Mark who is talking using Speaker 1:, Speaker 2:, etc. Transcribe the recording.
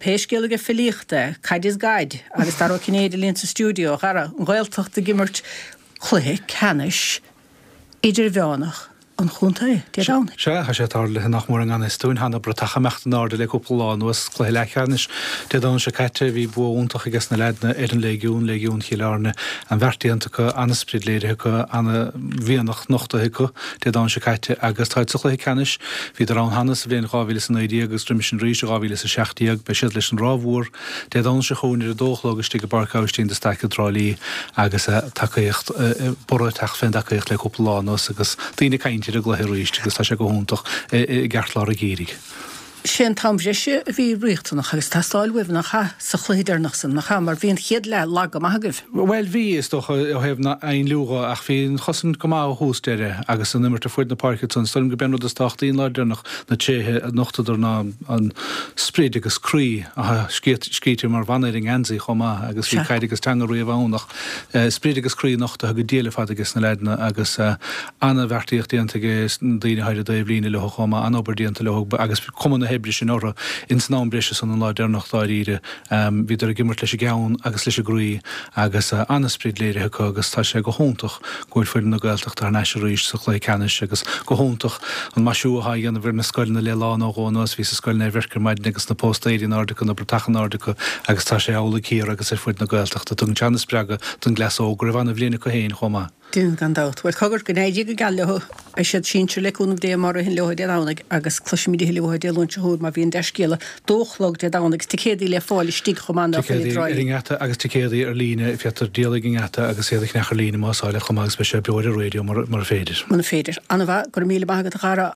Speaker 1: Pé scéal aige filíochta, caid is gaid, agus Dara Ó Cinnéide linn sa stiúideo, a Dhara, an Ghaeltacht ag imirt cluiche ceannais idirmheánach an chontae, Dé Domhnaigh.
Speaker 2: Sea, tá sé tarlaithe nach mór i ngan fhios dúinn. Tá na bratacha ag imeacht in airde le cúpla lá anuas. Cluiche leathcheannais Dé Domhnaigh seo caite, bhí bua iontach aige sna leaideanna ar an Léigiún, Léigiún Chill Airne. An-bheart déanta acu, an-sprid léirithe acu, an-mhianach nochtaithe acu Dé Domhnaigh seo caite agus táid sa chluiche ceannais. Bhíodar ann cheana sa bhliain 2019 agus roimis sin arís i 2017. Beidh siad leis an Ráth Mhór Dé Domhnaigh seo chugainn ar a dó a chlog istigh i bPáirc Aibhistín de Staic i dTrá Lí agus tacaíocht, borradh ag teacht fén dtacaíocht le cúpla lá anuas agus daoine ag caint ar an gcluiche arís agus tá sé go hiontach i gceartlár an gheimhridh.
Speaker 1: Sé an t-am bhreise a bhí riachtanach agus teastáil uaibh nach ea, sa chluiche deireanach san, nach ea, mar bhí an chéad leath lag go maith agaibh.
Speaker 2: Bhuel bhí, is dócha, ó thaobh na hainliú dho, ach bhí an chosaint go maith ó thús deireadh agus an imirt ar fuaid na páirce ansan. Is dóigh liom go b'é an rud is tábhachtaí an lá deireanach na tréithe a nochtadar ná an sprid agus croí a scríte mar mhana ar an ngeansaí chomh maith agus bhí caid agus teanga riamh ann ach sprid agus croí nochtaithe go diail ar fad aige sna leaideanna agus ana-bheartaíocht déanta aige na daoine atá ar an dtaobhlíne leo chomh maith, an-obair déanta leo agus cuma na hoibre sin orthu ins an am breise san an lá deireanach dáiríre. Bhíodar ag imirt leis an gceann agus leis an gcroí agus an-sprid léirithe acu agus tá sé go hiontach go bhfuil foireann na Gaeltachta thar n-ais arís sa chluiche ceannais agus go hiontach an maisiú atá á dhéanamh ar na scoileanna le lá nó dhó anuas. Bhíos i Scoil Naomh Eirc ar maidin agus na póstaeirí in airde acu, na bratacha in airde acu agus tá sé amhlaidh thiar agus ar fuid na Gaeltachta. Tugann sé an-spreagadh don gcleas óg go raibh an-bhliain acu féin chomh maith.
Speaker 1: Déanann gan dabht. Bhuel, cogar, go n-éirí go geal leo. Beidh siad sinsir le cúnamh Dé má ritheann leo Dé Domhnaigh agus cloisfimid a thuilleadh uathu Dé Luain seo chugainn má bhíonn dea-scéala. Dó a chlog Dé Domhnaigh agus ticéadaí le fáil istigh chomh maith ná
Speaker 2: faoi
Speaker 1: Ticéadaí
Speaker 2: ar an ngeata agus ticéadaí ar líne, féadtar díol ag an ngeata agus iad a cheannach ar líne más áil leat chomh maith agus beidh sé beo ar an raidió mura féidir.
Speaker 1: Muna féidir. An-mhaith, go raibh míle maith agat a Dhara.